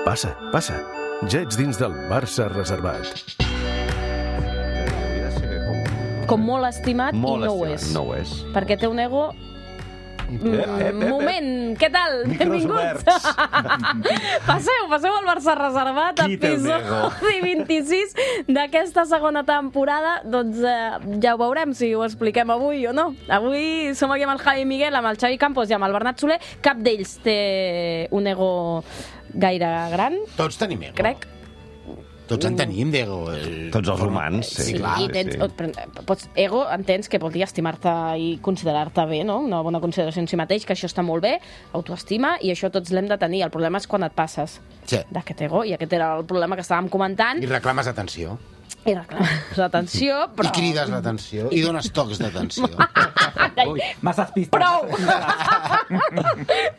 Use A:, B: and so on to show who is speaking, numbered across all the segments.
A: Passa, passa. Ja ets dins del Barça reservat.
B: Com molt estimat
C: Molt
B: i no ho
C: estimat,
B: és.
C: no ho és.
B: Perquè té un ego... Moment, què tal? Benvinguts. Passeu al Barça reservat,
C: Qui té un
B: episodi 26 d'aquesta segona temporada. Doncs ja ho veurem si ho expliquem avui o no. Avui som aquí amb el Javi Miguel, amb el Xavi Campos i amb el Bernat Soler. Cap d'ells té un ego gaire gran.
D: Tots tenim ego.
B: Crec.
D: Tots en tenim d'ego.
C: Tots els humans, sí.
B: Sí,
D: clar.
B: i tens, pots, ego, entens que vol dir estimar-te i considerar-te bé, no? Una bona consideració en si mateix, que això està molt bé, autoestima, i això tots l'hem de tenir. El problema és quan et passes
D: Sí.
B: d'aquest ego, i aquest era el problema que estàvem comentant.
D: I reclames atenció.
B: I reclames l'atenció, però...
D: I crides l'atenció. I dones tocs d'atenció.
E: Ui, masses pistes.
B: Prou!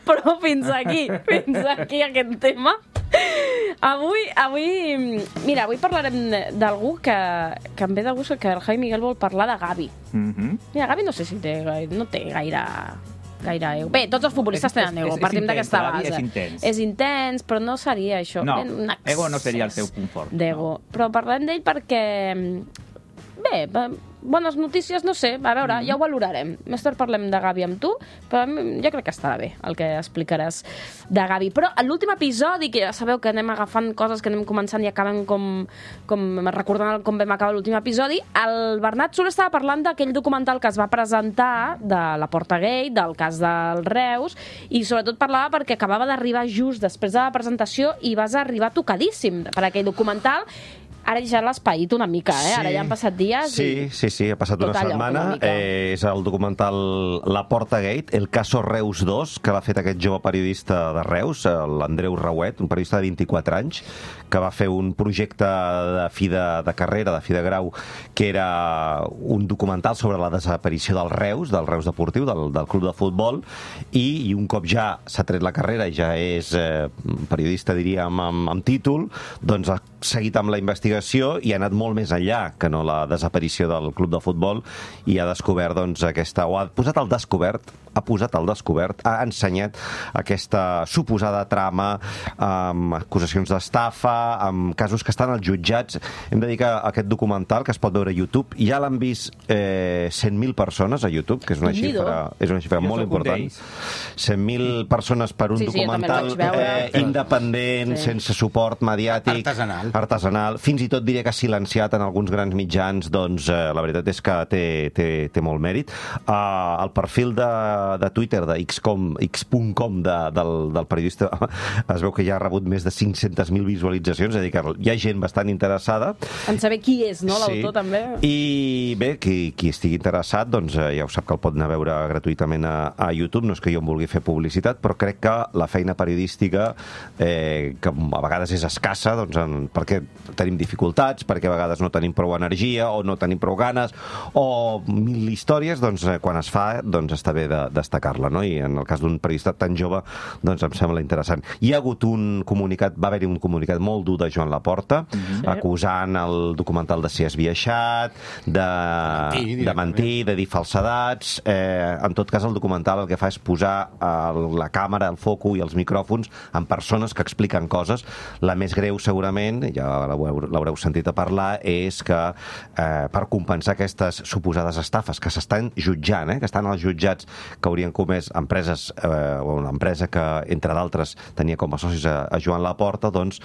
B: Però fins aquí aquest tema. Avui parlarem d'algú que em ve de gust, que el Javi Miguel vol parlar de Gavi. Mira, Gavi no sé si no té gaire ego. Bé, tots els futbolistes tenen ego, partim d'aquesta base. És intens, però no seria això.
E: No,
B: un
E: ego no seria el seu punt fort.
B: D'ego. Però parlem d'ell perquè... Bé, bones notícies, no sé, a veure, ja ho valorarem. Més tard parlem de Gavi amb tu, però jo crec que estarà bé el que explicaràs de Gavi. Però a l'últim episodi, que ja sabeu que anem agafant coses que anem començant i acabem com recordant com vam acabar l'últim episodi, el Bernat Soler estava parlant d'aquell documental que es va presentar de la Porta Gate, del cas del Reus, i sobretot parlava perquè acabava d'arribar just després de la presentació i vas arribar tocadíssim per aquell documental. Ara ja l'has paït una mica, Ara ja han passat dies.
C: Sí, ha passat una setmana. És el documental La Porta Gate, el caso Reus 2, que l'ha fet aquest jove periodista de Reus, l'Andreu Rauet, un periodista de 24 anys, que va fer un projecte de fi de carrera, de fi de grau, que era un documental sobre la desaparició del Reus Deportiu, del club de futbol, i un cop ja s'ha tret la carrera i ja és periodista, diríem, amb títol, doncs ha seguit amb la investigació i ha anat molt més enllà que no la desaparició del club de futbol, i ha descobert, doncs, ha posat al descobert, ha ensenyat aquesta suposada trama amb acusacions d'estafa, amb casos que estan als jutjats. Hem de dir que aquest documental, que es pot veure a YouTube, ja l'han vist 100.000 persones a YouTube, que és una xifra molt important. 100.000 persones per un documental independent, sense suport mediàtic, artesanal, fins i tot diré que silenciat en alguns grans mitjans. Doncs la veritat és que té molt mèrit. El perfil de Twitter, de x.com del periodista, es veu que ja ha rebut més de 500.000 visualitzacions, és a dir, que hi ha gent bastant interessada.
B: En saber qui és, no, l'autor, també.
C: I bé, qui estigui interessat, doncs ja ho sap que el pot anar a veure gratuïtament a YouTube. No és que jo em vulgui fer publicitat, però crec que la feina periodística, que a vegades és escassa, doncs perquè tenim dificultats, perquè a vegades no tenim prou energia o no tenim prou ganes o mil històries, doncs quan es fa, doncs està bé de destacar-la, no? I en el cas d'un periodista tan jove, doncs em sembla interessant. Hi ha hagut va haver-hi un comunicat molt dur de Joan Laporta, acusant el documental de ser esbiaixat, de mentir, de dir falsedats. En tot cas, el documental el que fa és posar la càmera, el foco i els micròfons en persones que expliquen coses. La més greu, segurament, ja l'haureu sentit a parlar, és que per compensar aquestes suposades estafes que s'estan jutjant, que estan als jutjats, que haurien comès empreses, o una empresa que, entre d'altres, tenia com a socis a Joan Laporta, doncs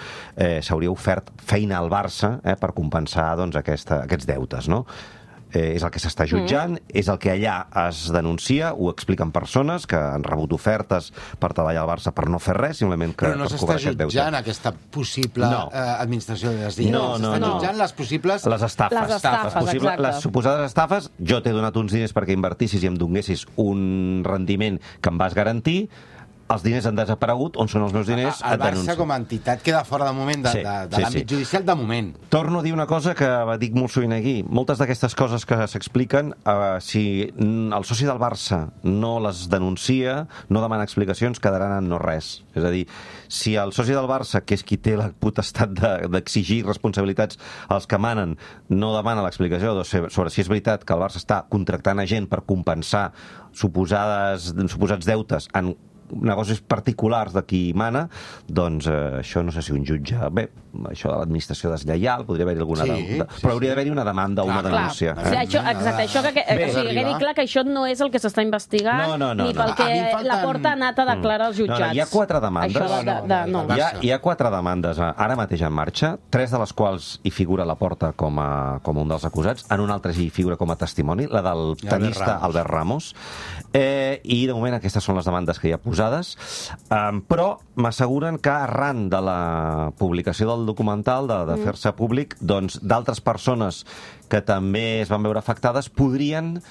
C: s'hauria ofert feina al Barça per compensar aquests deutes, no? És el que s'està jutjant, és el que allà es denuncia, ho expliquen persones que han rebut ofertes per treballar al Barça per no fer res, simplement que
D: però no s'està jutjant aquesta possible administració de desdient. S'estan jutjant les possibles...
C: Les estafes.
B: Exacte.
C: Les suposades estafes. Jo t'he donat uns diners perquè invertissis i em donessis un rendiment que em vas garantir. Els diners han desaparegut, on són els meus diners?
D: El Barça com a entitat queda fora de moment de l'àmbit judicial, de moment.
C: Torno a dir una cosa que dic molt sovint aquí. Moltes d'aquestes coses que s'expliquen, si el soci del Barça no les denuncia, no demana explicacions, quedaran en no res. És a dir, si el soci del Barça, que és qui té la potestat d'exigir responsabilitats als que manen, no demana l'explicació sobre si és veritat que el Barça està contractant a gent per compensar suposats deutes en negocis particulars de qui mana, doncs això no sé si un jutge... Bé, això de l'administració deslleial, podria haver-hi alguna... Però hauria d'haver-hi una demanda o una denúncia.
B: Exacte, això que quedi clar que això no és el que s'està investigant ni pel que la Porta ha anat a declarar als jutjats.
C: Hi ha 4 demandes. Hi ha 4 demandes ara mateix en marxa, 3 de les quals hi figura la Porta com un dels acusats, en un altre hi figura com a testimoni, la del tenista Albert Ramos, i de moment aquestes són les demandes que hi ha posades, però m'asseguren que arran de la publicació del documental, de fer-se públic, doncs d'altres persones que també es van veure afectades podrien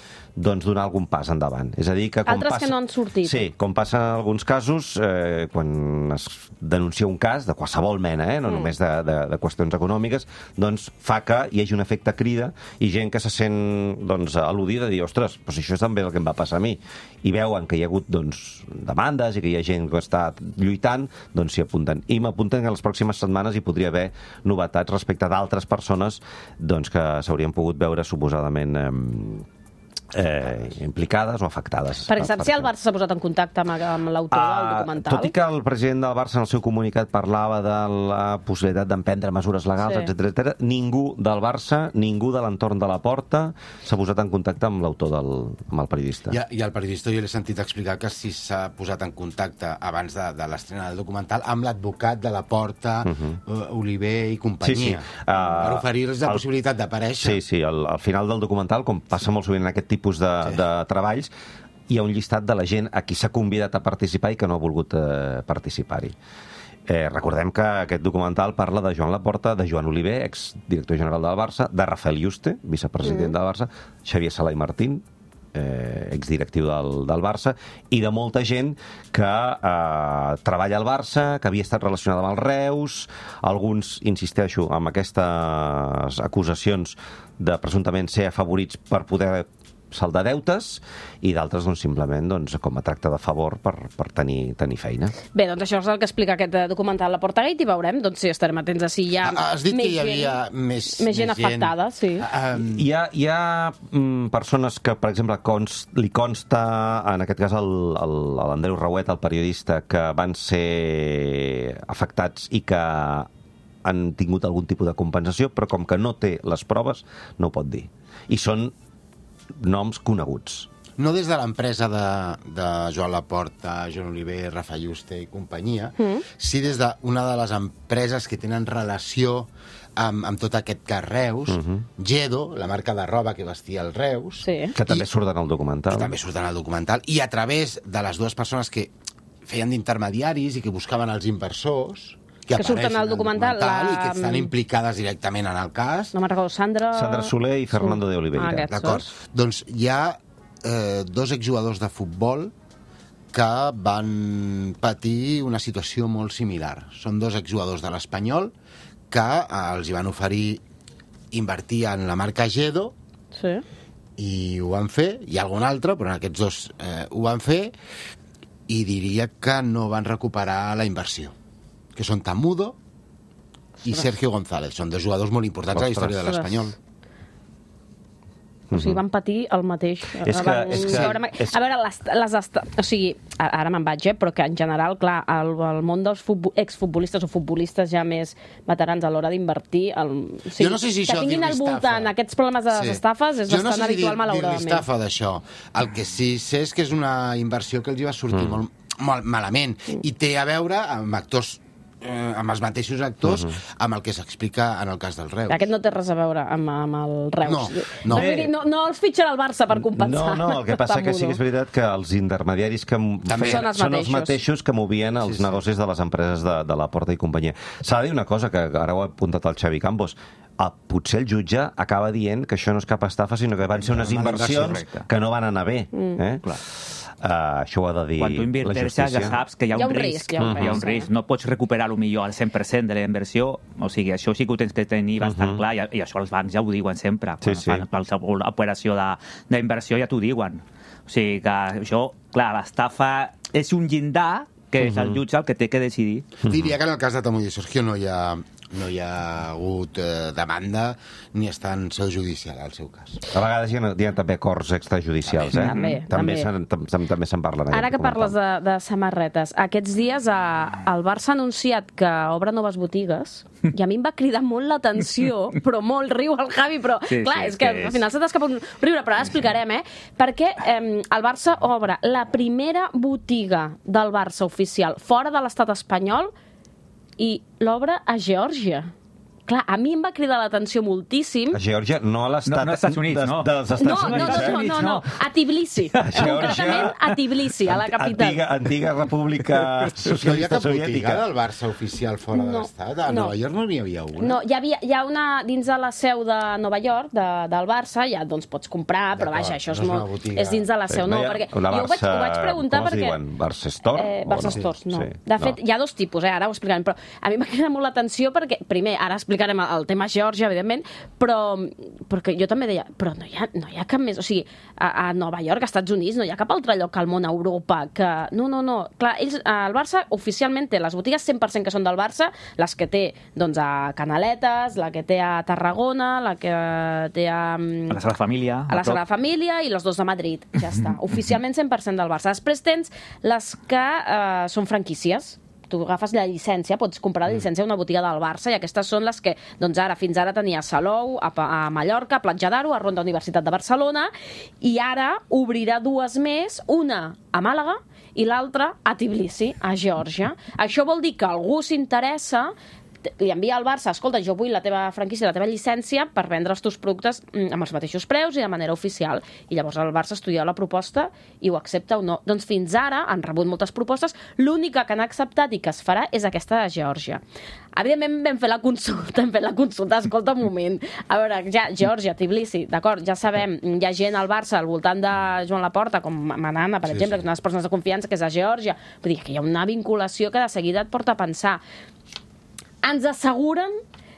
C: donar algun pas endavant. És a dir, que
B: altres que no han sortit.
C: Sí, com passa en alguns casos, quan es denuncia un cas, de qualsevol mena, no només de qüestions econòmiques, doncs fa que hi hagi un efecte crida i gent que se sent al·ludida i dir, ostres, però si això també és el que em va passar a mi. I veuen que hi ha hagut demandes i que hi ha gent que està lluitant, doncs s'hi apunten. I m'apunten que en les pròximes setmanes hi podria haver novetats respecte d'altres persones que s'haurien pogut veure suposadament implicades o afectades.
B: Per exemple, si el Barça s'ha posat en contacte amb l'autor del documental...
C: Tot i que el president del Barça en el seu comunicat parlava de la possibilitat d'emprendre mesures legals, etc., ningú del Barça, ningú de l'entorn de la Porta s'ha posat en contacte amb l'autor, amb el periodista.
D: I el periodista jo l'he sentit explicar que sí s'ha posat en contacte abans de l'estrena del documental amb l'advocat de la Porta, Oliver i companyia, per oferir-los la possibilitat d'aparèixer.
C: Sí, al final del documental, com passa molt sovint en aquest tipus de treballs, hi ha un llistat de la gent a qui s'ha convidat a participar i que no ha volgut participar-hi. Recordem que aquest documental parla de Joan Laporta, de Joan Oliver, exdirector general del Barça, de Rafael Yuste, vicepresident del Barça, Xavier Sala i Martín, exdirectiu del Barça, i de molta gent que treballa al Barça, que havia estat relacionada amb el Reus, alguns, insisteixo, amb aquestes acusacions de presumptament ser afavorits per poder saldar deutes, i d'altres simplement com a tracte de favor per tenir feina.
B: Bé, doncs això és el que explica aquest documental La Porta Gate i veurem si estarem atents a si hi ha
D: has dit que hi havia més
B: gent afectada. Sí.
C: Hi ha persones que, per exemple, li consta, en aquest cas l'Andreu Rauet, el periodista, que van ser afectats i que han tingut algun tipus de compensació, però com que no té les proves, no ho pot dir. I són noms coneguts.
D: No des de l'empresa de Joan Laporta, Joan Oliver, Rafael Yuste i companyia, sí des d'una de les empreses que tenen relació amb tot aquest cas Reus, Gedo, la marca de roba que vestia el Reus,
C: que també surten al documental.
D: I a través de les dues persones que feien d'intermediaris i que buscaven els inversors, que surten al documental i que estan implicades directament en el cas.
B: No me'n recordo,
C: Sandra Soler i Fernando de Oliveira.
D: D'acord. Doncs hi ha 2 exjugadors de futbol que van patir una situació molt similar. Són 2 exjugadors de l'Espanyol que els hi van oferir invertir en la marca Gedo i ho van fer. Hi ha algun altre, però aquests 2 ho van fer i diria que no van recuperar la inversió, que són Tamudo i Sergio González. Són 2 jugadors molt importants a la història de l'Espanyol.
B: O sigui, van patir el mateix. A veure, o sigui, ara me'n vaig, però que en general, clar, el món dels exfutbolistes o futbolistes ja més veterans a l'hora d'invertir,
D: jo no sé si
B: que tinguin al voltant aquests problemes de les estafes és bastant habitual, malauradament.
D: Jo no sé si dir estafa d'això. El que sí sé és que és una inversió que els va sortir molt malament i té a veure amb actors amb els mateixos actors amb el que s'explica en el cas del Reus.
B: Aquest no té res a veure amb el Reus. No els fitxen al Barça per compensar.
C: No, el que passa que sí que és veritat que els intermediaris que són els mateixos que movien els negocis de les empreses de la Porta i companyia. S'ha de dir una cosa, que ara ho ha apuntat el Xavi Campos, potser el jutge acaba dient que això no és cap estafa, sinó que van ser unes inversions que no van anar bé. Això ho ha de dir la justícia.
E: Quan tu inverteixes ja saps que hi ha un risc. Hi ha un risc. No pots recuperar millor al 100% de la inversió. O sigui, això sí que ho tens que tenir bastant clar i això els bancs ja ho diuen sempre. Quan fan qualsevol operació d'inversió ja t'ho diuen. O sigui que això, clar, l'estafa és un llindar que és el jutge el que té que decidir.
D: Diria que en el cas de Tamudo i Sergio no hi ha no hi ha hagut demanda ni està en seu judicial, al seu cas.
C: A vegades hi ha també acords extrajudicials, També se'n parla.
B: Ara que parles de samarretes, aquests dies el Barça ha anunciat que obre noves botigues i a mi em va cridar molt l'atenció, però molt riu el Javi, però clar, és que al final se t'escapa un riure, però ara explicarem, perquè el Barça obre la primera botiga del Barça oficial fora de l'estat espanyol i l'obre a Geòrgia. Clar, a mi em va cridar l'atenció moltíssim.
C: A Geòrgia, no a l'estat...
E: No als Estats Units, no.
C: Dels Estats Units.
B: No. A Tbilisi. Concretament a Tbilisi, a la capital.
C: Antiga república socialista soviètica.
D: No hi ha cap botiga del Barça oficial fora de l'estat? A Nova York no n'hi havia una?
B: No, hi ha una dins de la seu de Nova York, del Barça, ja doncs pots comprar, però vaja, això és dins de la seu. No, perquè jo ho vaig preguntar perquè...
C: Com es diuen? Barça Store?
B: Barça Stores, no. De fet, hi ha dos tipus, ara ho explicarem, però a mi m'ha cridat molt l'atenció perquè, primer, ara explicarem el tema Geòrgia, evidentment, però perquè jo també deia, però no hi ha cap més, o sigui, a Nova York, als Estats Units, no hi ha cap altre lloc al món, a Europa, que... No. Clar, el Barça oficialment té les botigues 100% que són del Barça, les que té, doncs, a Canaletes, la que té a Tarragona, la que té a
E: la Sagrada Família.
B: A la Sagrada Família i les dos de Madrid, ja està. Oficialment 100% del Barça. Després tens les que són franquícies. Tu agafes la llicència, pots comprar la llicència a una botiga del Barça i aquestes són les que, doncs fins ara tenia a Salou, a Mallorca, a Platja d'Aro, a Ronda Universitat de Barcelona, i ara obrirà dues més, una a Màlaga i l'altra a Tbilisi, a Geòrgia. Això vol dir que algú s'interessa, li envia al Barça, escolta, jo vull la teva franquícia, la teva llicència per vendre els teus productes amb els mateixos preus i de manera oficial. I llavors el Barça estudia la proposta i ho accepta o no. Doncs fins ara han rebut moltes propostes, l'única que han acceptat i que es farà és aquesta de Geòrgia. Evidentment vam fer la consulta, escolta un moment. A veure, ja, Geòrgia, Tbilisi, d'acord, ja sabem, hi ha gent al Barça al voltant de Joan Laporta, com Manana, per exemple, que és una de les persones de confiança, que és a Geòrgia. Vull dir que hi ha una vinculació que de seguida et porta a pensar. Ens asseguren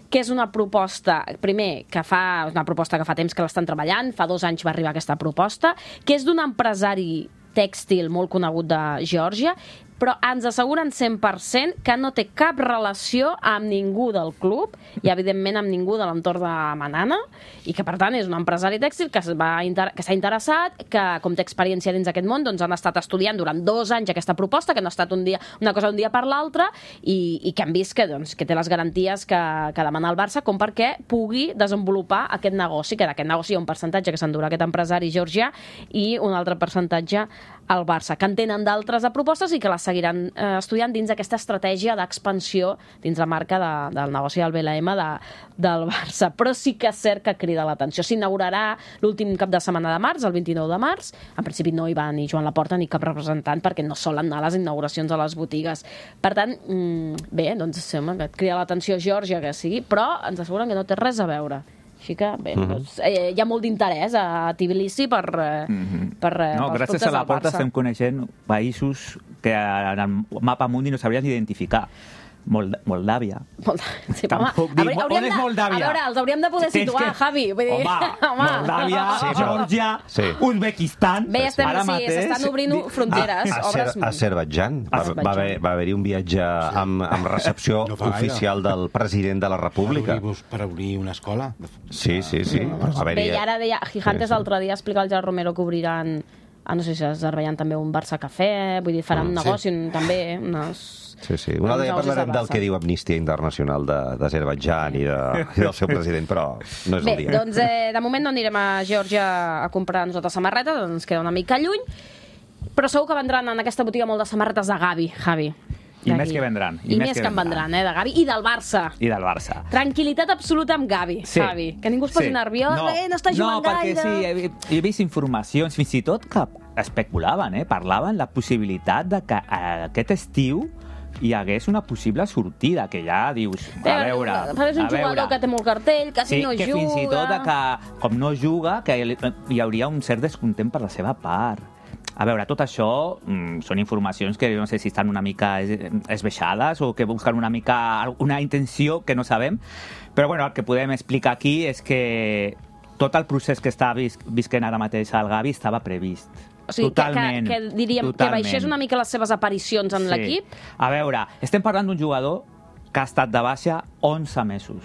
B: que és una proposta, primer, una proposta que fa temps que l'estan treballant, fa 2 anys va arribar aquesta proposta, que és d'un empresari tèxtil molt conegut de Geòrgia, però ens asseguren 100% que no té cap relació amb ningú del club i, evidentment, amb ningú de l'entorn de Manana, i que, per tant, és un empresari tèxtil que s'ha interessat, que, com té experiència dins aquest món, doncs han estat estudiant durant 2 anys aquesta proposta, que no ha estat una cosa d'un dia per l'altre, i que han vist que té les garanties que demana el Barça com perquè pugui desenvolupar aquest negoci, que d'aquest negoci hi ha un percentatge que s'endurà aquest empresari georgià i un altre percentatge al Barça, que en tenen d'altres propostes i que les seguiran estudiant dins aquesta estratègia d'expansió dins la marca del negoci del BLM del Barça. Però sí que és cert que crida l'atenció. S'inaugurarà l'últim cap de setmana de març, el 29 de març. En principi no hi va ni Joan Laporta ni cap representant perquè no solen anar a les inauguracions a les botigues. Per tant, bé, doncs sembla que et crida l'atenció Geòrgia que sigui, però ens asseguren que no té res a veure. Així que, bé, doncs, hi ha molt d'interès a Tbilisi per
E: gràcies a la Porta estem coneixent països que en el mapa mundi no sabríem identificar. Moldàvia.
B: Sí, on és Moldàvia? A veure, els hauríem de poder situar, Javi.
E: Home, Moldàvia, Geòrgia, Uzbekistan...
B: Bé, s'estan obrint fronteres.
C: A Azerbaidjan. Va haver-hi un viatge amb recepció oficial del president de la República.
D: Per obrir una escola?
C: Sí.
B: Bé, i ara deia, Gigantes l'altre dia explicava el Gerard Romero que obriran, no sé si a Azerbaidjan també un Barça Cafè, vull dir, faran un negoci també, unes...
C: Sí. Un altre dia parlarem del que diu Amnistia Internacional d'Azerbaidjan i del seu president, però no és el dia.
B: Bé, doncs de moment no anirem a Geòrgia a comprar nosaltres samarretes, ens queda una mica lluny, però segur que vendran en aquesta botiga molt de samarretes de Gavi, Javi.
E: I més que vendran.
B: I més que en vendran, de Gavi i del Barça. Tranquil·litat absoluta amb Gavi, Javi. Que ningú es posi nerviós, no està jugant gaire.
E: No, perquè sí, he vist informacions, fins i tot que especulaven, parlaven la possibilitat de que aquest estiu hi hagués una possible sortida, que ja dius, a veure...
B: És un jugador que té molt cartell, quasi no juga...
E: Sí, que fins i tot que, com no juga, que hi hauria un cert descontent per la seva part. A veure, tot això són informacions que no sé si estan una mica esbeixades o que busquen una mica una intenció que no sabem, però bueno, el que podem explicar aquí és que tot el procés que està visquent ara mateix el Gavi estava previst.
B: O sigui, que diríem que baixés una mica les seves aparicions en l'equip?
E: A veure, estem parlant d'un jugador que ha estat de baixa 11 mesos.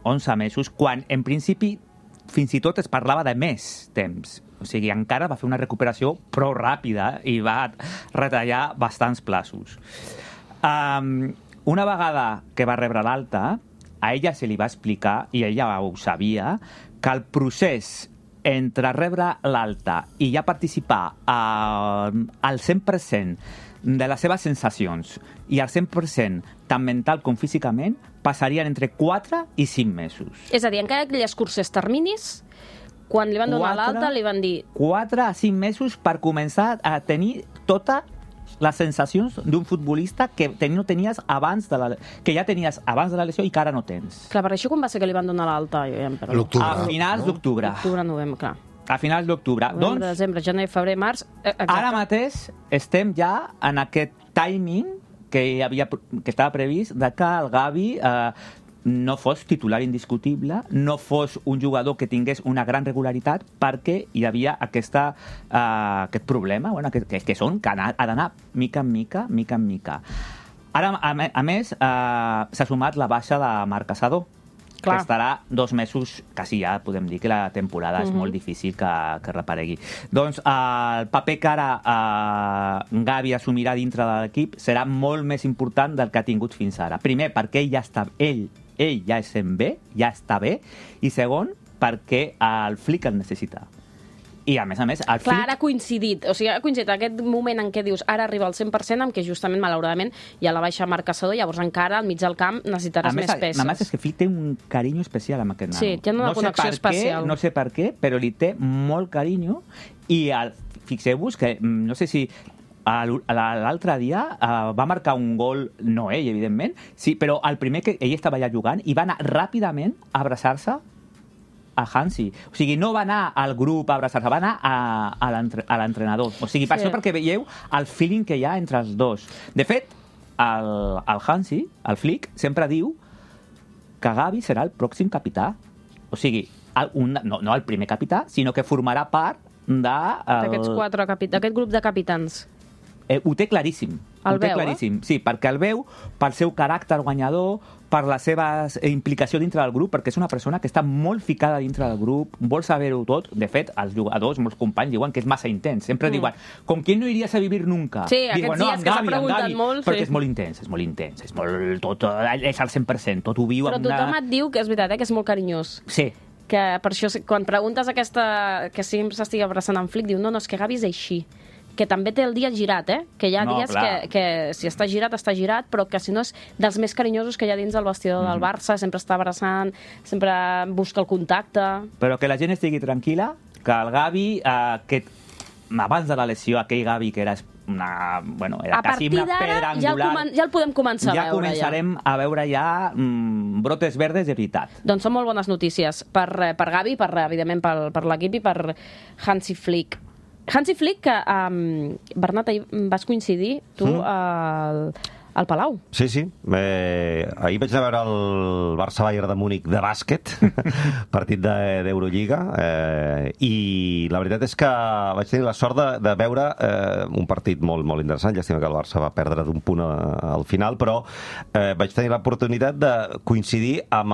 E: 11 mesos, quan en principi fins i tot es parlava de més temps. O sigui, encara va fer una recuperació prou ràpida i va retallar bastants plaços. Una vegada que va rebre l'alta, a ella se li va explicar, i ella ho sabia, que el procés entre rebre l'alta i ja participar al 100% de les seves sensacions i al 100% tant mental com físicament passarien entre 4 i 5 mesos.
B: És a dir, encara aquelles curses terminis, quan li van donar l'alta, li van dir...
E: 4 a 5 mesos per començar a tenir totes les sensacions d'un futbolista que no tenies que ja tenies abans de la lesió i que ara no tens.
B: Clar, per això quan va ser que li van donar l'alta?
E: A finals d'octubre.
B: Octubre, novembre, clar.
E: A finals d'octubre.
B: Novembre, desembre, gener, febrer, març...
E: Ara mateix estem ja en aquest timing que estava previst de que el Gavi no fos titular indiscutible, no fos un jugador que tingués una gran regularitat, perquè hi havia aquest problema, que ha d'anar mica en mica. Ara, a més, s'ha sumat la baixa de Marc Caçador, que estarà 2 mesos, quasi ja podem dir que la temporada és molt difícil que reparegui. Doncs el paper que ara Gavi assumirà dintre de l'equip serà molt més important del que ha tingut fins ara. Primer, perquè ell ja es sent bé, ja està bé, i segon, perquè el Flick el necessita. I, a més, el Flick...
B: Clar, ara ha coincidit aquest moment en què dius ara arriba al 100%, amb què justament, malauradament, hi ha la baixa Marc Caçador, llavors encara al mig del camp necessitaràs més peces.
E: A més, és que Flick té un carinyo especial amb aquest nano.
B: Sí, té una connexió especial.
E: No sé per què, però li té molt carinyo, i fixeu-vos que, no sé si l'altre dia va marcar un gol, no ell, evidentment, sí, però el primer que ell estava allà jugant i va anar ràpidament a abraçar-se a Hansi. O sigui, no va anar al grup a abraçar-se, va anar a l'entrenador. O sigui, per això perquè veieu el feeling que hi ha entre els dos. De fet, el Hansi, el Flick, sempre diu que Gavi serà el pròxim capità. O sigui, no el primer capità, sinó que formarà part
B: d'aquest grup de capitans.
E: Ho té claríssim.
B: El veu,
E: sí, perquè el veu pel seu caràcter guanyador, per la seva implicació dintre del grup, perquè és una persona que està molt ficada dintre del grup, vol saber-ho tot. De fet, els jugadors, molts companys, diuen que és massa intens. Sempre diuen, ¿con quién no irías a vivir nunca?
B: Sí, aquests dies que s'ha preguntat molt.
E: Perquè és molt intens, és al 100%, tot ho viu.
B: Però tothom et diu que és veritat, que és molt carinyós.
E: Sí.
B: Que per això, quan preguntes que sempre s'estigui abraçant en Flick, diu, no, és que Gavi és així. Que també té el dia girat, que hi ha dies que si està girat, però que si no és dels més carinyosos que hi ha dins del vestidor del Barça, sempre està abraçant, sempre busca el contacte.
E: Però que la gent estigui tranquil·la, que el Gavi, abans de la lesió, aquell Gavi que era era quasi una pedra angular...
B: Ja el podem començar a veure.
E: Ja començarem a veure brotes verdes de veritat.
B: Doncs són molt bones notícies per Gavi, evidentment per l'equip i per Hansi Flick. Hansi Flick, que, Bernat, ahir vas coincidir tu al Palau.
C: Sí. Ahir vaig anar a veure el Barça-Bayern de Múnich de bàsquet, partit d'Eurolliga, i la veritat és que vaig tenir la sort de veure un partit molt, molt interessant. Llàstima que el Barça va perdre d'un punt al final, però vaig tenir l'oportunitat de coincidir amb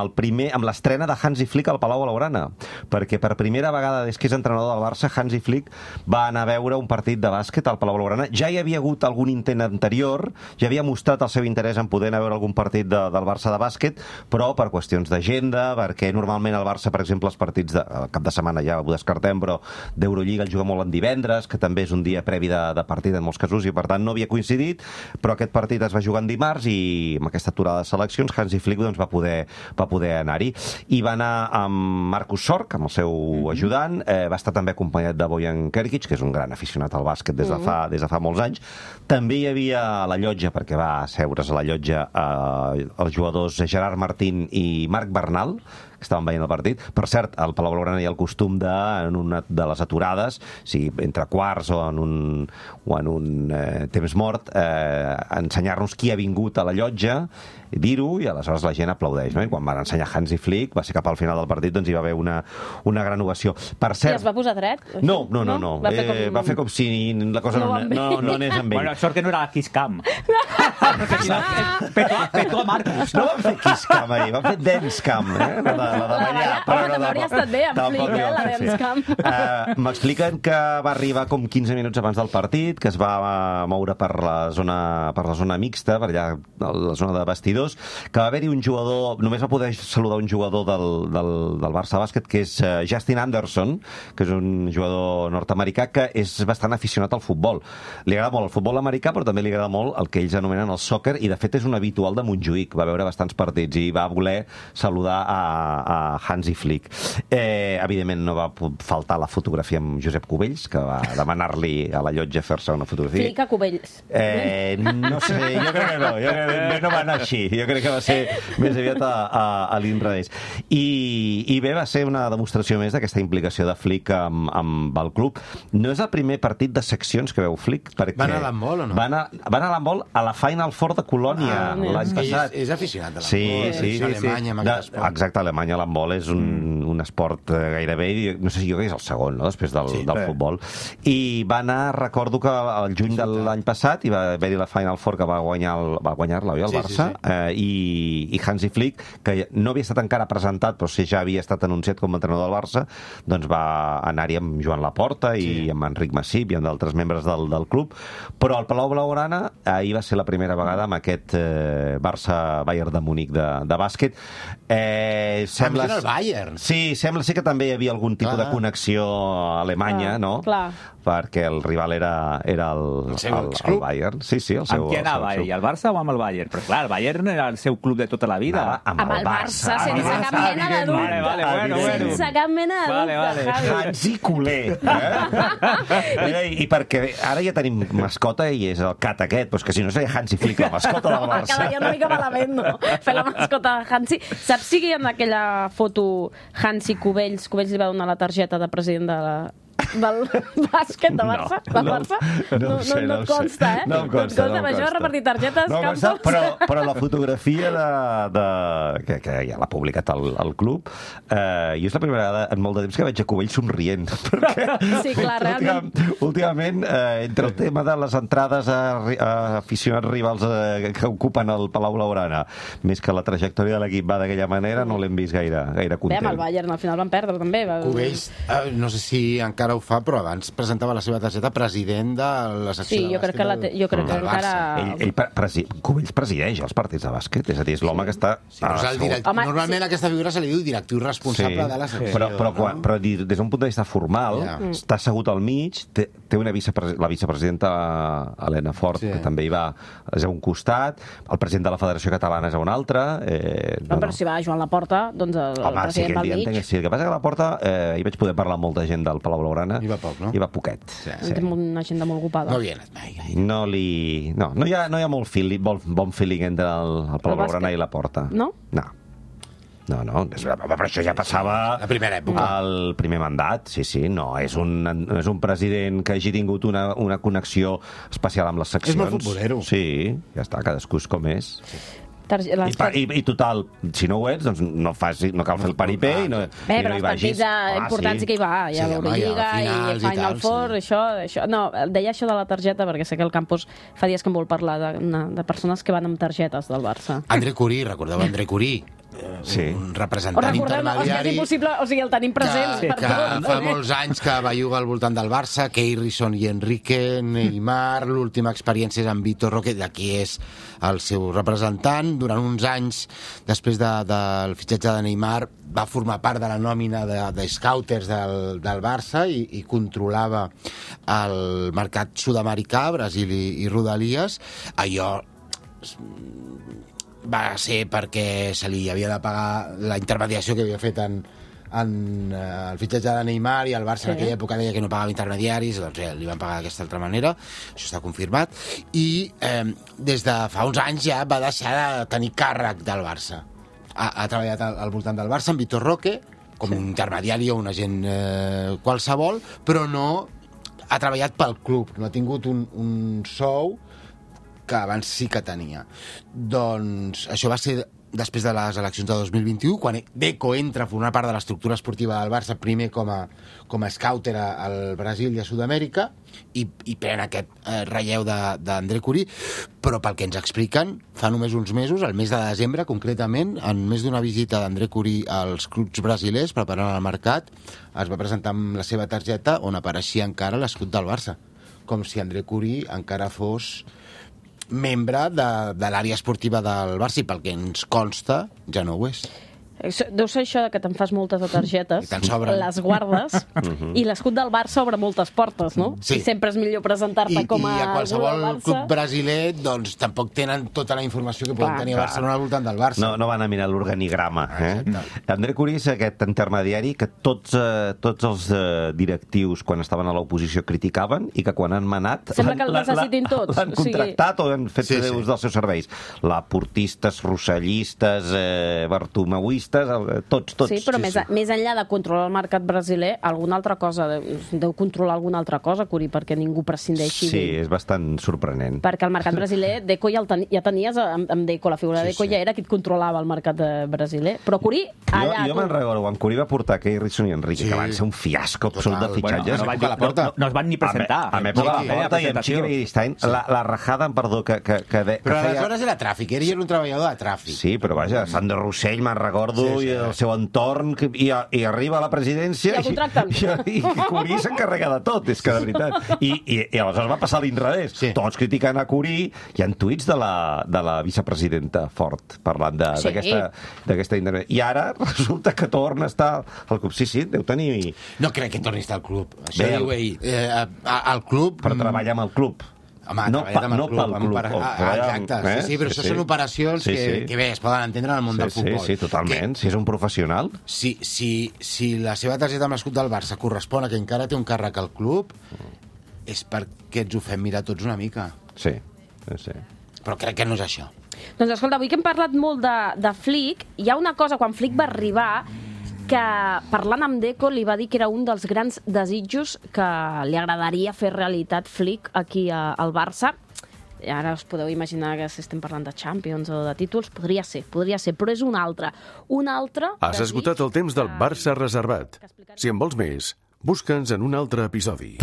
C: l'estrena de Hansi Flick al Palau Blaugrana, perquè per primera vegada des que és entrenador del Barça, Hansi Flick va anar a veure un partit de bàsquet al Palau Blaugrana. Ja hi havia hagut algun intent anterior, ja havia mostrat el seu interès en poder anar a veure algun partit del Barça de bàsquet, però per qüestions d'agenda, perquè normalment el Barça, per exemple, els partits al cap de setmana ja ho descartem, però d'Eurolliga el juga molt en divendres, que també és un dia previ de partit en molts casos, i per tant no havia coincidit, però aquest partit es va jugar en dimarts i amb aquesta aturada de seleccions Hansi Flick va poder anar-hi. I va anar amb Marcus Sorg, amb el seu ajudant, va estar també acompanyat de Bojan Kerkic, que és un gran aficionat al bàsquet des de fa molts anys. També hi havia la llotja, perquè va asseure's a la llotja els jugadors Gerard Martín i Marc Bernal, que estaven veient el partit. Per cert, al Palau Blaugrana hi ha el costum de, en una de les aturades, sigui entre quarts o en un temps mort, ensenyar-nos qui ha vingut a la llotja, dir-ho, i aleshores la gent aplaudeix, no? I quan van ensenyar Hansi Flick, va ser cap al final del partit, doncs hi va haver una gran ovació. Per cert...
B: I es va posar dret?
C: No. Va fer com si la cosa no anés amb ell.
E: Bueno, sort que no era Kiss Cam. Petó a Marcos.
C: No van fer Kiss Cam ahir, van fer Dance Cam, la de ballar.
B: Home, també hauria estat bé amb Flick, la Dance Cam.
C: M'expliquen que va arribar com 15 minuts abans del partit, que es va moure per la zona mixta, per allà, la zona de vestidors, que va haver-hi un jugador, només va poder saludar un jugador del Barça Bàsquet, que és Justin Anderson, que és un jugador nord-americà que és bastant aficionat al futbol. Li agrada molt el futbol americà, però també li agrada molt el que ells anomenen el sòquer, i de fet és un habitual de Montjuïc, va veure bastants partits i va voler saludar a Hansi Flick. Evidentment no va faltar la fotografia amb Josep Cubells, que va demanar-li a la llotja fer-se una fotografia.
B: Flick a Cubells.
C: No sé, jo crec que no va anar així. Jo crec que va ser més aviat a l'inrevés. I bé, va ser una demostració més d'aquesta implicació de Flick amb el club. No és el primer partit de seccions que veu Flick, perquè...
D: Va anar a l'handbol o no?
C: Va anar a l'handbol a la Final Four de Colònia l'any passat.
D: És aficionat a l'handbol.
C: Sí.
D: Alemanya, amb aquest esport.
C: Exacte, a Alemanya l'handbol és un esport gairebé, no sé si jo crec que és el segon, no?, després del futbol. I va anar, recordo que al juny de l'any passat hi va haver-hi la Final Four que va guanyar-la, oi, el Barça? I Hansi Flick, que no havia estat encara presentat, però sí ja havia estat anunciat com a entrenador del Barça, doncs va anar-hi amb Joan Laporta i amb Enric Massip i amb d'altres membres del club, però al Palau Blaugrana ahir va ser la primera vegada amb aquest Barça-Bayern de Munic de bàsquet.
D: Sembla el Bayern.
C: Sí, sembla ser que també hi havia algun tipus de connexió a Alemanya, no?
B: Clar.
C: Perquè el rival era el Bayern. Sí, el seu.
E: Amb qui anava ell? El Barça o amb el Bayern? Però clar, el Bayern era el seu club de tota la vida.
B: Amb el Barça, sense cap mena de dubte.
E: Vale.
B: Sense cap mena de dubte, Javi.
C: Hansi culer. I perquè ara ja tenim mascota i és el cat aquest, però que si no seria Hansi Flick, la mascota del Barça.
B: Quedaria una mica malament, no? Fer la mascota de Hansi. Saps si en aquella foto Hansi Cubells li va donar la targeta de president del bàsquet de Barça? No et consta, eh? No em consta. Això de repartir targetes, campos...
C: Però la fotografia que ja l'ha publicat el club, jo és la primera vegada en molt de temps que veig a Cubell somrient.
B: Sí, clar, realment.
C: Últimament, entre el tema de les entrades a aficionats rivals que ocupen el Palau Blaugrana, més que la trajectòria de l'equip va d'aquella manera, no l'hem vist gaire content.
B: Bé, amb el Bayern al final van perdre, també.
D: Cubells, no sé si encara ho fa, però abans presentava la seva targeta president de la secció de bàsquet del Barça.
C: Cubells presideix els partits de bàsquet, és a dir, és l'home que està...
D: Normalment aquesta figura se li diu directiu responsable de la secció.
C: Però des d'un punt de vista formal, està assegut al mig, té la vicepresidenta Helena Fort, que també hi va, és a un costat, el president de la Federació Catalana és a un altre...
B: Però si va Joan Laporta, doncs el president va al mig.
C: Sí, el que passa que a Laporta hi vaig poder parlar amb molta gent del Palau Blaugrana.
D: Hi va poc, no?
C: Hi va poquet.
B: Té una agenda molt ocupada.
D: No havia anat mai.
C: No hi ha molt bon feeling entre el Palau Blaugrana i la Porta.
B: No?
C: No, però això ja passava
D: la primera època.
C: El primer mandat, sí, no és un president que hagi tingut una connexió especial amb les seccions.
D: És molt futbolero.
C: Sí, ja està, cadascú és com és.
B: Sí.
C: I total, si no ho ets, doncs no cal fer el paripé i no hi vagis.
B: Però els partits importants sí que hi va. Hi ha l'Eurolliga i Final Four, això. No, deia això de la targeta perquè sé que el campus fa dies que em vol parlar de persones que van amb targetes del Barça.
D: André Curí, recordeu André Curí? Un representant intermediari,
B: o sigui, el tenim present
D: que fa molts anys que belluga al voltant del Barça, Keirison i Enrique, Neymar, l'última experiència és amb Vitor Roque, d'aquí és el seu representant. Durant uns anys, després del fitxatge de Neymar, va formar part de la nòmina de scouters del Barça i controlava el mercat sud-americà, Brasil i Rodalies. Allò va ser perquè se li havia de pagar la intermediació que havia fet en el fitxatge de Neymar, i el Barça en aquella època deia que no pagava intermediaris, doncs li van pagar d'aquesta altra manera, això està confirmat, i des de fa uns anys ja va deixar de tenir càrrec del Barça. ha treballat al voltant del Barça, amb Vitor Roque, com un intermediari o un agent qualsevol, però no ha treballat pel club, no ha tingut un sou que abans sí que tenia. Doncs això va ser després de les eleccions de 2021, quan Deco entra a formar part de l'estructura esportiva del Barça, primer com a scouter al Brasil i a Sud-amèrica, i pren aquest relleu d'André Curí, però pel que ens expliquen, fa només uns mesos, el mes de desembre concretament, en més d'una visita d'André Curí als clubs brasilers preparant el mercat, es va presentar amb la seva targeta on apareixia encara l'escut del Barça, com si André Curí encara fos membre de l'àrea esportiva del Barça, i pel que ens consta ja no ho és.
B: Deu ser això que te'n fas moltes de targetes, les guardes, i l'escut del Barça obre moltes portes, no?
D: Sí.
B: I sempre és millor presentar-te com a...
D: I a qualsevol club brasiler, doncs, tampoc tenen tota la informació que poden tenir a Barcelona al voltant del Barça.
C: No van a mirar l'organigrama. André Curí és aquest intermediari que tots els directius, quan estaven a l'oposició, criticaven, i que quan han manat...
B: Sembla que el necessitin tots.
C: L'han contractat o han fet ús dels seus serveis. Laportistes, rossellistes, bartomeuistes, tots.
B: Sí, però més enllà de controlar el mercat brasiler, alguna altra cosa, deu controlar alguna altra cosa, Curí, perquè ningú prescindeixi.
C: Sí, és bastant sorprenent.
B: Perquè el mercat brasiler, Deco ja tenies amb Deco, la figura de Deco ja era qui et controlava el mercat brasiler. Però Curí, allà...
C: Jo me'n recordo, quan Curí va portar Keirson i Enrique, que van ser un fiasco absolut de fitxatges.
E: No es van ni presentar.
C: A l'època de la porta i amb Chiqui Begiristain, la rajada, perdó, que
D: però aleshores era tràfic, ell era un treballador de tràfic.
C: Sí, però vaja, Sandro Rossell, me'n recordo, i el seu entorn, i arriba a la presidència i Curí s'encarrega de tot, és que de veritat. I aleshores va passar l'inrevés. Tots criticant a Curí. Hi ha tuits de la vicepresidenta Fort parlant d'aquesta intervenció. I ara resulta que torna a estar al club. Sí, deu tenir...
D: No crec que torni a estar al club. Això diu ell. Al club...
C: Per treballar amb el club.
D: Home, no pel club. Exacte, sí, però això són operacions que bé, es poden entendre en el món del futbol.
C: Sí, totalment. Si és un professional.
D: Si la seva targeta amb l'escut del Barça correspon a que encara té un càrrec al club, és perquè ens ho fem mirar tots una mica.
C: Sí.
D: Però crec que no és això.
B: Doncs escolta, avui que hem parlat molt de Flick, hi ha una cosa, quan Flick va arribar, que parlant amb Deco li va dir que era un dels grans desitjos que li agradaria fer realitat Flick aquí al Barça. I ara us podeu imaginar que si estem parlant de Champions o de títols, podria ser, però és un altre.
A: Has esgotat el temps del Barça reservat. Si en vols més, busca'ns en un altre episodi.